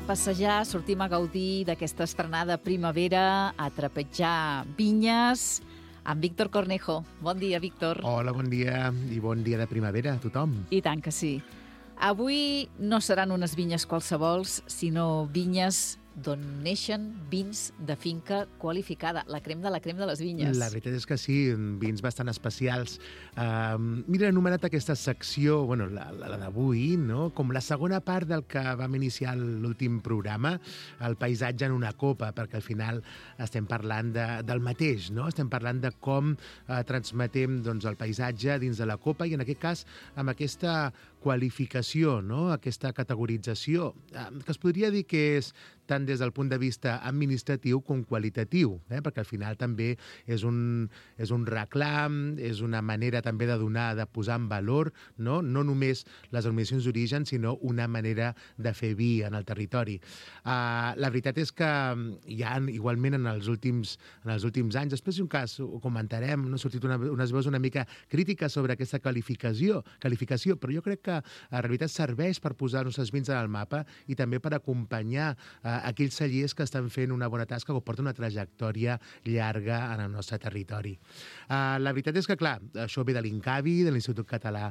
a passejar, sortim a gaudir d'aquesta estrenada primavera, a trepitjar vinyes, amb Víctor Cornejo. Bon dia, Víctor. Hola, bon dia i bon dia de primavera a tothom. I tant que sí. Avui no seran unes vinyes qualsevols, sinó vinyes d'on neixen vins de finca qualificada, la crem de les vinyes. La veritat és que sí, vins bastant especials. Mira, he anomenat aquesta secció, bueno, la d'avui, no? Com la segona part del que vam iniciar l'últim programa, el paisatge en una copa, perquè al final estem parlant del mateix, no? Estem parlant de com transmetem doncs, el paisatge dins de la copa i en aquest cas amb aquesta qualificació, no? Aquesta categorització, que es podria dir que és tant des del punt de vista administratiu com qualitatiu, perquè al final també és un reclam, és una manera també de donar, de posar en valor, no només les denominacions d'origen, sinó una manera de fer vi en el territori. La veritat és que hi ha, igualment, en els últims anys, després d'un cas ho comentarem, no ha sortit unes veus una mica crítiques sobre aquesta qualificació, però jo crec que en realitat serveix per posar els nostres vins en el mapa i també per acompanyar aquells cellers que estan fent una bona tasca o porten una trajectòria llarga en el nostre territori. La veritat és que, clar, això ve de l'INCAVI, de l'Institut Català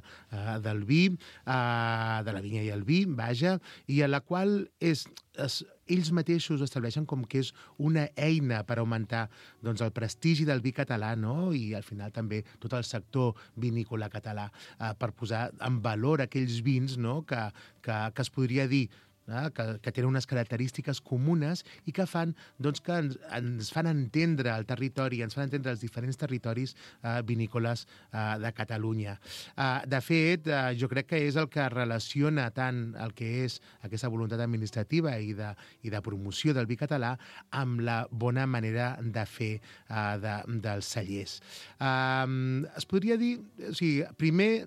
del Vi, de la vinya i el vi, vaja, i a la qual ells mateixos estableixen com que és una eina per augmentar doncs, el prestigi del vi català, no? I al final també tot el sector vinícola català, per posar en valor aquells vins, no? que es podria dir que tenen unes característiques comunes i que fan doncs, que ens fan entendre el territori, ens fan entendre els diferents territoris vinícoles de Catalunya. De fet, jo crec que és el que relaciona tant el que és aquesta voluntat administrativa i de promoció del vi català amb la bona manera de fer dels cellers. Es podria dir, o sigui, primer,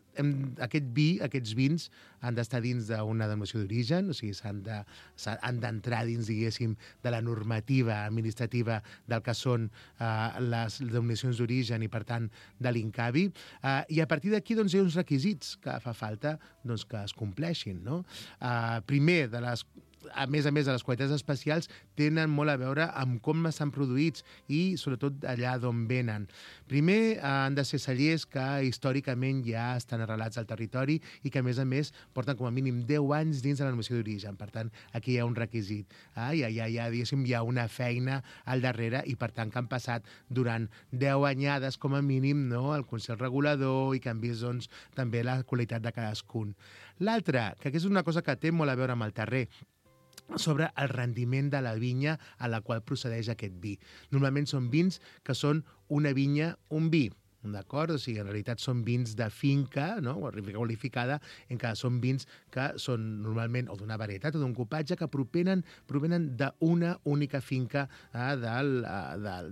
aquests vins han d'estar dins d'una denominació d'origen, o sigui, han d'entrar dins, diguéssim, de la normativa administrativa del que són les denominacions d'origen i, per tant, de l'INCAVI. I a partir d'aquí doncs, hi ha uns requisits que fa falta doncs, que es compleixin, no? Primer, a més de les qualitats especials, tenen molt a veure amb com estan produïts i, sobretot, allà d'on venen. Primer, han de ser cellers que històricament ja estan arrelats al territori i que, a més, porten com a mínim 10 anys dins de la denominació d'origen. Per tant, aquí hi ha un requisit. Diguéssim, hi ha una feina al darrere i, per tant, que han passat durant 10 anyades, com a mínim, no? El Consell Regulador i que han vist doncs, també la qualitat de cadascun. L'altre, que és una cosa que té molt a veure amb el terrer, sobre el rendiment de la vinya a la qual procedeix aquest vi. Normalment són vins que són una vinya, un vi, d'acord? O sigui, en realitat són vins de finca, no? O qualificada, en què són vins que són normalment o d'una varietat o d'un cupatge que provenen d'una única finca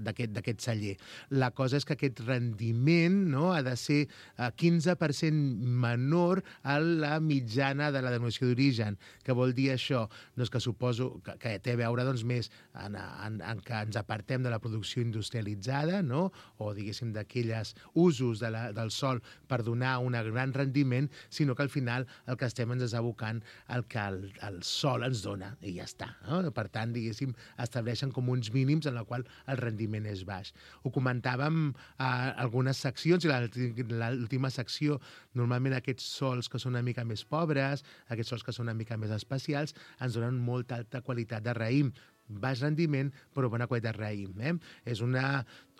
d'aquest celler. La cosa és que aquest rendiment, no? Ha de ser 15% menor a la mitjana de la denominació d'origen. Què vol dir això? Doncs que suposo que té a veure doncs, més en que ens apartem de la producció industrialitzada, no? O diguéssim d'aquelles usos del sol per donar un gran rendiment, sinó que al final el que estem ens és abocant el que el sol ens dona i ja està. No? Per tant, diguéssim, estableixen com uns mínims en la qual el rendiment és baix. Ho comentàvem a algunes seccions i l'última secció, normalment aquests sols que són una mica més pobres, aquests sols que són una mica més especials, ens donen molta alta qualitat de raïm. Baix rendiment, però bona qualitat de raïm. És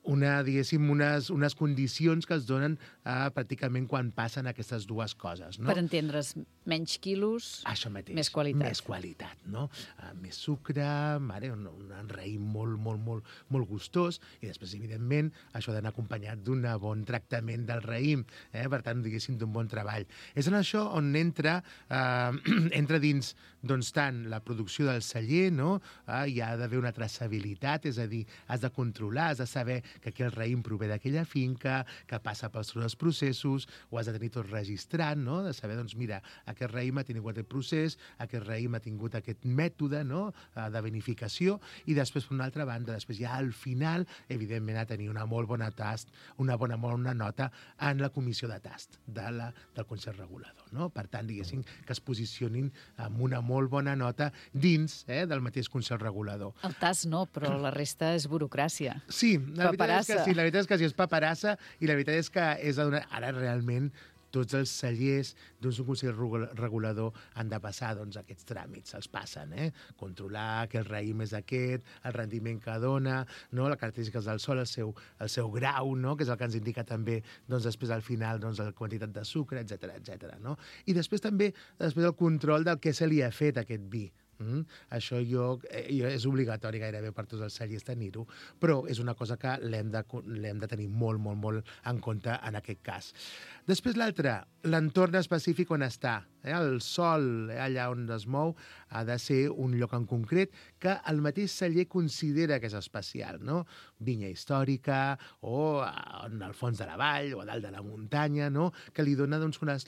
diguéssim, unes condicions que es donen pràcticament quan passen aquestes dues coses. No? Per entendre's, menys quilos, això mateix, més qualitat. Més qualitat, no? Més sucre, un raïm molt gustós, i després, evidentment, això ha d'anar acompanyat d'un bon tractament del raïm, per tant, diguéssim, d'un bon treball. És en això on entra dins doncs, tant la producció del celler, no? Hi ha d'haver una traçabilitat, és a dir, has de controlar, has de saber que aquí el raïm prové d'aquella finca, que passa pels tots els processos, ho has de tenir tot registrat, no? De saber, doncs, mira, aquest raïm ha tingut aquest procés, aquest raïm ha tingut aquest mètode, no?, de vinificació, i després, per una altra banda, després ja al final, evidentment, a tenir una molt bona bona nota en la comissió de tast del Consell Regulador, no? Per tant, diguéssim, que es posicionin amb una molt bona nota dins del mateix Consell Regulador. El tast no, però la resta és burocràcia. Sí, la veritat és que sí, la veritat és que sí, és paperassa, i la veritat és que és a donar... Ara realment tots els cellers d'un Consell Regulador han de passar aquests tràmits, els passen, controlar que el raïm és aquest, el rendiment que dona, no? Les característiques del sol, el seu grau, no? Que és el que ens indica també després al final la quantitat de sucre, etc. No? I després també el control del que se li ha fet a aquest vi. Això és obligatori gairebé per tots els cellers tenir-ho, però és una cosa que l'hem de tenir molt, molt, molt en compte en aquest cas. Després l'altre, l'entorn específic on està. El sol, allà on es mou, ha de ser un lloc en concret que el mateix celler considera que és especial, no? Vinya històrica, o en el fons de la vall, o a dalt de la muntanya, no? Que li dona,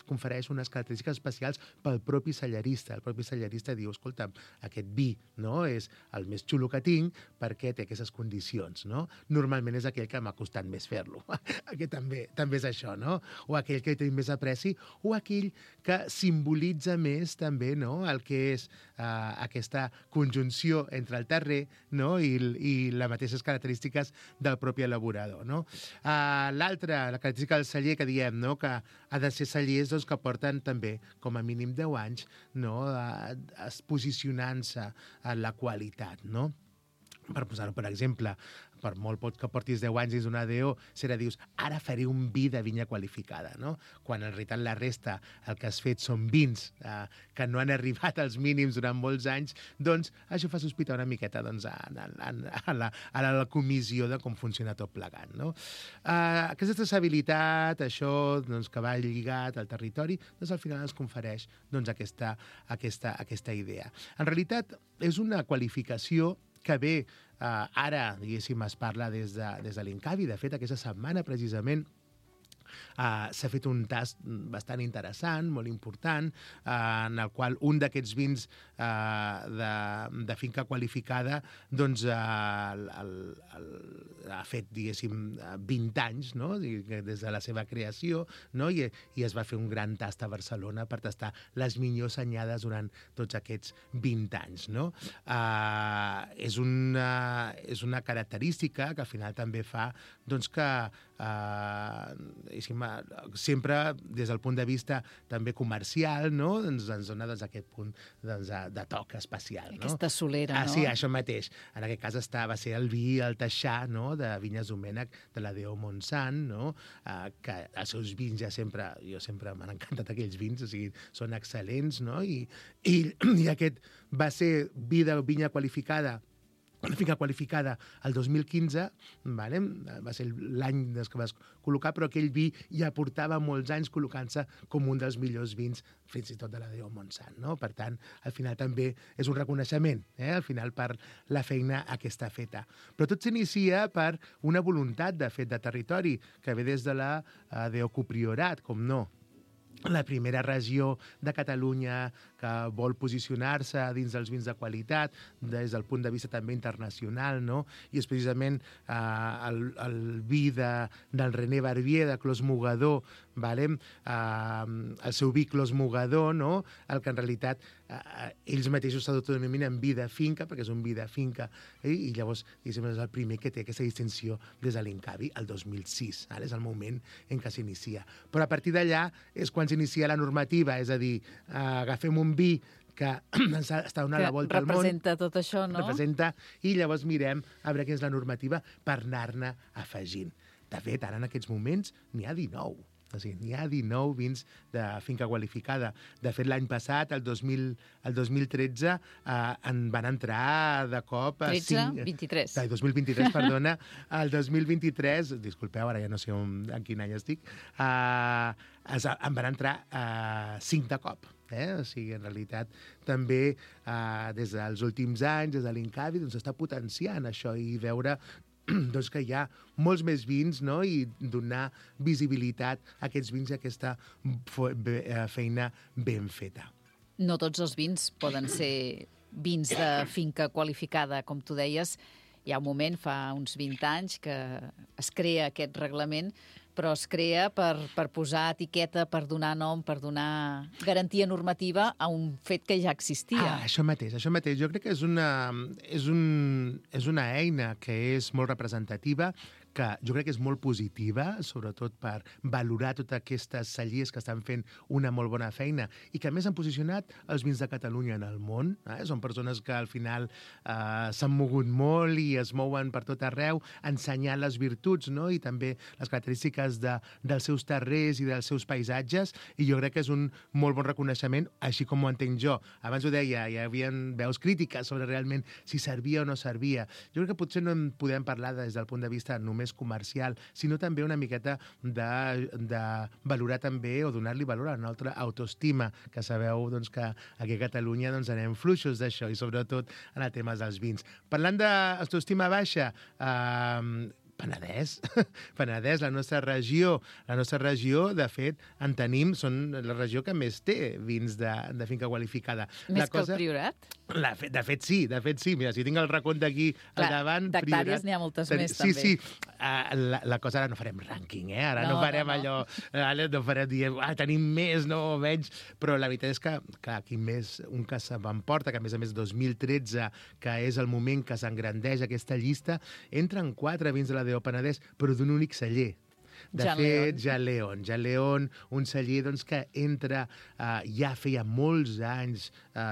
confereix unes característiques especials pel propi cellerista. El propi cellerista diu, escolta'm, aquest vi, no?, és el més xulo que tinc perquè té aquestes condicions, no? Normalment és aquell que m'ha costat més fer-lo. Aquest també és això, no? O aquell que té més apreci, o aquell que simbolitza més també, no?, el que és aquesta conjunció entre el terrer, no?, i les mateixes característiques del propi elaborador, no? L'altra, la característica del celler que diem, no?, que ha de ser cellers que porten també com a mínim 10 anys, no?, posicionant-se en la qualitat, no? Per posar-ho, per exemple, per molt pot que portis 10 anys dins d'una DO, si ara dius, ara faré un vi de vinya qualificada, no? Quan en realitat la resta, el que has fet són vins que no han arribat als mínims durant molts anys, doncs això fa sospitar una miqueta a la comissió de com funciona tot plegat, no? Aquesta traçabilitat, això que va lligat al territori, doncs al final ens confereix aquesta idea. En realitat, és una qualificació que bé, ara, diguéssim, es parla des de l'Incavi. De fet, aquesta setmana, precisament, s'ha fet un tast bastant interessant, molt important, en el qual un d'aquests vins de finca qualificada doncs ha fet, diguéssim, 20 anys, no?, des de la seva creació, no?, i es va fer un gran tast a Barcelona per tastar les millors anyades durant tots aquests 20 anys, no? És una característica que al final també fa doncs, que sempre des del punt de vista també comercial, no?, ens dona aquest punt de toc especial. Aquesta solera, no? Sí, això mateix. En aquest cas va ser el vi, el Taixà, no?, de Vinyes Domènech, de la DO Montsant, no?, que els seus vins jo sempre m'han encantat aquells vins, o sigui, són excel·lents, no?, i aquest va ser vi de vinya qualificada, una finca qualificada el 2015, vale? Va ser l'any que vas col·locar, però aquell vi ja portava molts anys col·locant-se com un dels millors vins, fins i tot de la DO Montsant, no? Per tant, al final també és un reconeixement, al final per la feina que està feta. Però tot s'inicia per una voluntat, de fet, de territori, que ve des de la DO Copriorat, com no. La primera regió de Catalunya que vol posicionar-se dins dels vins de qualitat des del punt de vista també internacional, no? I és precisament el vi del René Barbier, de Clos Mogador, vale? El seu vi Clos Mogador, no?, el que en realitat ells mateixos s'autodenominen vi de finca, perquè és un vi de finca, i llavors és el primer que té aquesta distinció des de l'Incavi, el 2006. És el moment en què s'inicia. Però a partir d'allà és quan s'inicia la normativa, és a dir, agafem un vi que està donant la volta al món. Que representa tot això, no? Representa, i llavors mirem a veure quina és la normativa per anar-ne afegint. De fet, ara en aquests moments n'hi ha 19. O sigui, n'hi ha 19 vins de finca qualificada. De fet, l'any passat, el 2013, en van entrar de cop... 23. 2023, perdona. El 2023, disculpeu, ara ja no sé en quin any estic, en van entrar 5 de cop. O sigui, en realitat, també des dels últims anys, des de l'Incavi, doncs s'està potenciant això i veure doncs que hi ha molts més vins, no? I donar visibilitat a aquests vins i a aquesta feina ben feta. No tots els vins poden ser vins de finca qualificada, com tu deies. Hi ha un moment, fa uns 20 anys, que es crea aquest reglament, però es crea per posar etiqueta, per donar nom, per donar garantia normativa a un fet que ja existia. Això mateix. Jo crec que és una eina que és molt representativa, que jo crec que és molt positiva, sobretot per valorar totes aquestes cellers que estan fent una molt bona feina i que a més han posicionat els vins de Catalunya en el món. Són persones que al final s'han mogut molt i es mouen per tot arreu, ensenyant les virtuts, no? I també les característiques dels seus terrers i dels seus paisatges, i jo crec que és un molt bon reconeixement, així com ho entenc jo. Abans ho deia, hi havia veus crítiques sobre realment si servia o no servia. Jo crec que potser no en podem parlar des del punt de vista només comercial, sinó també una miqueta de valorar també o donar-li valor a una altra autoestima, que sabeu doncs, que aquí a Catalunya doncs, anem fluixos d'això, i sobretot en el tema dels vins. Parlant d'autoestima baixa, Penedès, la nostra regió, de fet, en tenim, són la regió que més té vins de finca qualificada. Més que el Priorat? De fet, sí. Mira, si tinc el recompte aquí al davant... D'hectàrees n'hi ha moltes més, també. Sí. La cosa, ara no farem rànquing, Ara no farem allò... Ara no farem dir, tenim més, no, o menys... Però la veritat és que, clar, aquí més un que se m'emporta, que a més 2013, que és el moment que s'engrandeix aquesta llista, entren 4 vins de la DO Penedès, però d'un únic celler. De fet, Ja León, un celler doncs, que entra, ja feia molts anys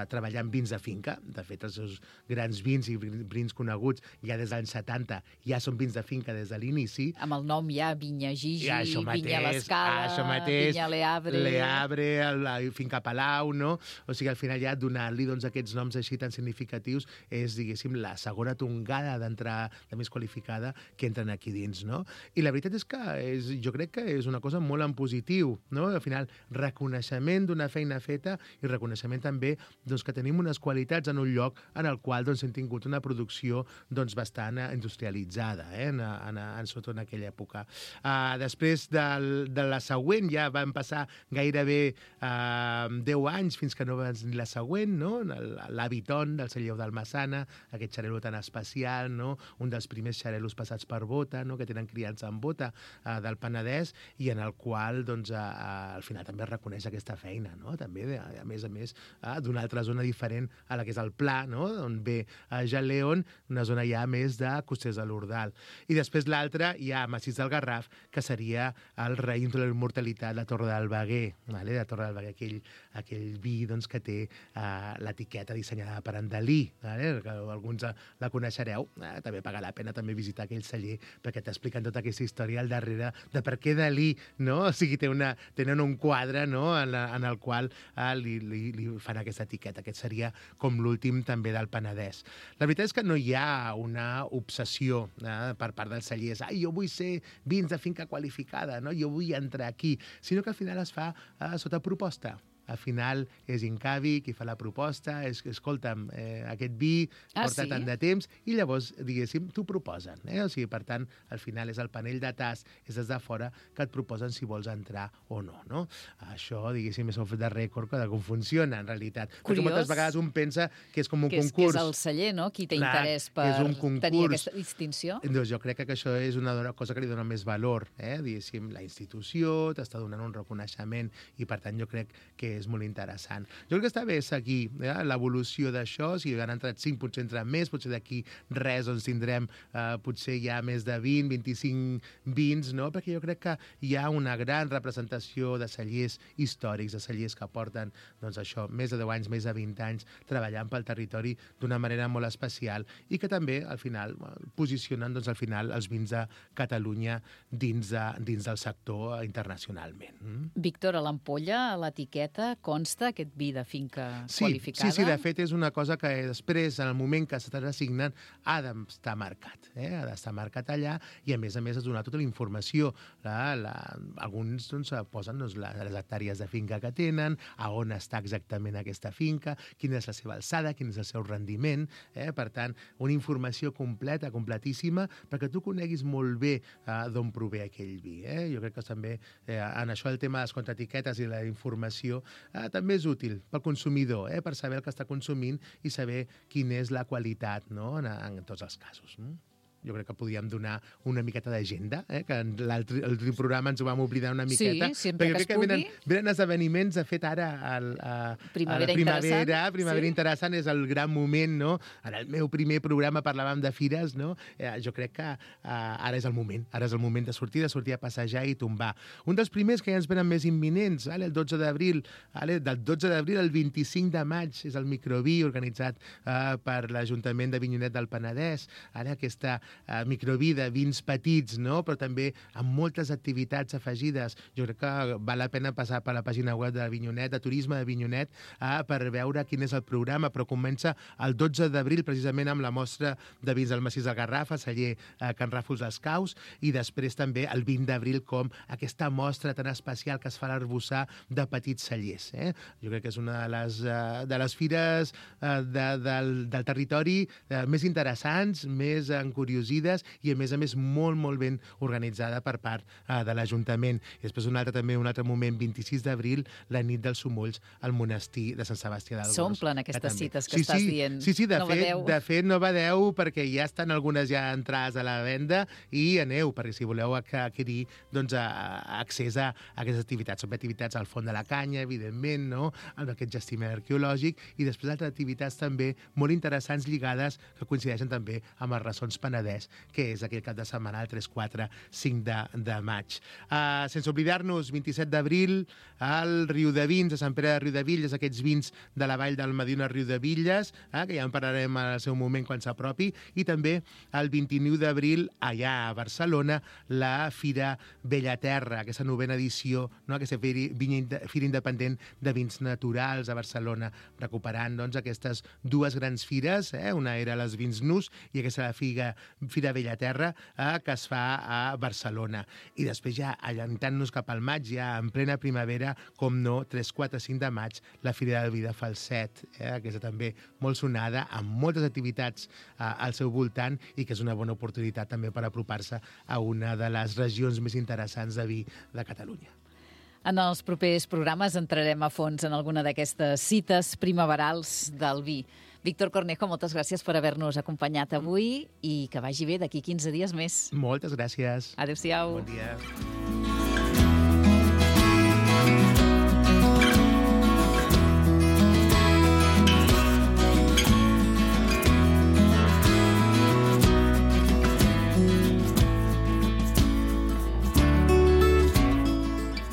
treballant vins de finca. De fet, els seus grans vins i vins coneguts ja des dels anys 70 ja són vins de finca des de l'inici. Amb el nom ja, Vinya Gigi, Vinya l'Escala, Vinya Leabre, la Finca Palau, no? O sigui, al final ja donar-li aquests noms així tan significatius és, diguéssim, la segona tongada d'entrar de més qualificada que entren aquí dins, no? I la veritat és que jo crec que és una cosa molt en positiu, no? Al final, reconeixement d'una feina feta i reconeixement també que tenim unes qualitats en un lloc en el qual hem tingut una producció bastant industrialitzada, sobretot en aquella època. Després de la següent, ja van passar gairebé 10 anys fins que no va venir la següent, no? L'Habiton del celler d'Almassana, aquest xarel·lo tan especial, no? Un dels primers xarel·los passats per bota, no? Que tenen criança en bota, del Penedès, i en el qual al final també es reconeix aquesta feina, no? També, a més, d'una altra zona diferent a la que és el Pla, no? On ve Ja León, una zona ja més de Costers de l'Ordal. I després l'altra, ja Massís del Garraf, que seria el raïm de la immortalitat, la Torre del Veguer, la Torre del Veguer, aquell vi que té l'etiqueta dissenyada per en Dalí, que alguns la coneixereu. També paga la pena també visitar aquell celler, perquè t'expliquen tota aquesta història al darrere de per què Dalí, no? O sigui, tenen un quadre, no? En el qual li fan aquesta etiqueta. Aquest seria com l'últim també del Penedès. La veritat és que no hi ha una obsessió per part dels cellers. Jo vull ser vins de finca qualificada, no? Jo vull entrar aquí. Sinó que al final es fa sota proposta. Al final és Incavi qui fa la proposta, escolta'm, aquest vi porta tant de temps, i llavors, diguéssim, t'ho proposen. O sigui, per tant, al final és el panell de tast, és des de fora que et proposen si vols entrar o no, no? Això, diguéssim, és un fet de rècord de com funciona, en realitat. Curiós. Perquè moltes vegades un pensa que és com un concurs. Que és el celler, no?, qui té interès per tenir aquesta distinció. Doncs jo crec que això és una cosa que li dona més valor, diguéssim, la institució t'està donant un reconeixement, i per tant jo crec que és molt interessant. Jo crec que està bé seguir l'evolució d'això. Si han entrat 5, potser entren més, potser d'aquí res tindrem potser ja més de 20, 25 vins, no? Perquè jo crec que hi ha una gran representació de cellers històrics, de cellers que porten això, més de 10 anys, més de 20 anys, treballant pel territori d'una manera molt especial, i que també, al final, posicionen al final els vins de Catalunya dins del sector internacionalment. Víctor, a l'ampolla, a l'etiqueta, etiqueta consta aquest vi de finca qualificada? Sí, de fet és una cosa que després, en el moment que s'està assignant, ha d'estar marcat. Ha d'estar marcat allà i, a més es donar tota la informació. Alguns posen les hectàrees de finca que tenen, a on està exactament aquesta finca, quina és la seva alçada, quin és el seu rendiment. Per tant, una informació completa, completíssima, perquè tu coneguis molt bé d'on prové aquell vi. Jo crec que també en això el tema de les contraetiquetes i la informació també és útil pel consumidor, per saber el que està consumint i saber quina és la qualitat, no?, en tots els casos. Jo crec que podíem donar una miqueta d'agenda, que l'altre programa ens ho vam oblidar una miqueta. Sí, sempre que es pugui. Venen esdeveniments, de fet, ara a Primavera Interessant és el gran moment, no? En el meu primer programa parlàvem de fires, no? Jo crec que ara és el moment. Ara és el moment de sortir a passejar i tombar. Un dels primers que ja ens venen més imminents, el 12 d'abril, del 12 d'abril al 25 de maig, és el Microví, organitzat per l'Ajuntament de Avinyonet del Penedès. Ara aquesta microví de vins petits, no?, però també amb moltes activitats afegides. Jo crec que val la pena passar per la pàgina web de Avinyonet, de Turisme d'Avinyonet, per veure quin és el programa, però comença el 12 d'abril precisament amb la mostra de vins del Massís del Garraf, a celler Can Ràfols dels Caus, i després també el 20 d'abril com aquesta mostra tan especial que es fa a l'Arboçar de petits cellers. Jo crec que és una de les fires del territori més interessants, més encuriosides i, a més, molt, molt ben organitzada per part de l'Ajuntament. I després un altre moment, 26 d'abril, la nit dels Somolls al monestir de Sant Sebastià del Gros. S'omplen aquestes cites que estàs dient. Sí, de fet, no badeu, perquè ja estan algunes ja entrades a la venda, i aneu, perquè si voleu adquirir accés a aquestes activitats. Són activitats al Font de la Canya, evidentment, no?, amb aquest jaciment arqueològic, i després altres activitats també molt interessants lligades que coincideixen també amb els Ressons Penedès, que és aquell cap de setmana, el 3, 4, 5 de maig. Sense oblidar-nos, 27 d'abril, al Riudevilles, a Sant Pere de Riudevilles, aquests vins de la vall del Medina Riudevilles, que ja en parlarem al seu moment quan s'apropi, i també el 29 d'abril, allà a Barcelona, la Fira Bellaterra, aquesta novena edició, no?, aquesta Fira Independent de Vins Naturals a Barcelona, recuperant aquestes dues grans fires, una era les Vins Nus i aquesta la Fira Bellaterra, que es fa a Barcelona. I després ja, allantant-nos cap al maig, ja en plena primavera, com no, 3, 4, 5 de maig, la Fira del Vi de Falset, aquesta també molt sonada, amb moltes activitats al seu voltant, i que és una bona oportunitat també per apropar-se a una de les regions més interessants de vi de Catalunya. En els propers programes entrarem a fons en alguna d'aquestes cites primaverals del vi. Víctor Cornejo, moltes gràcies per haver-nos acompanyat avui i que vagi bé d'aquí 15 dies més. Moltes gràcies. Adéu-siau. Bon dia.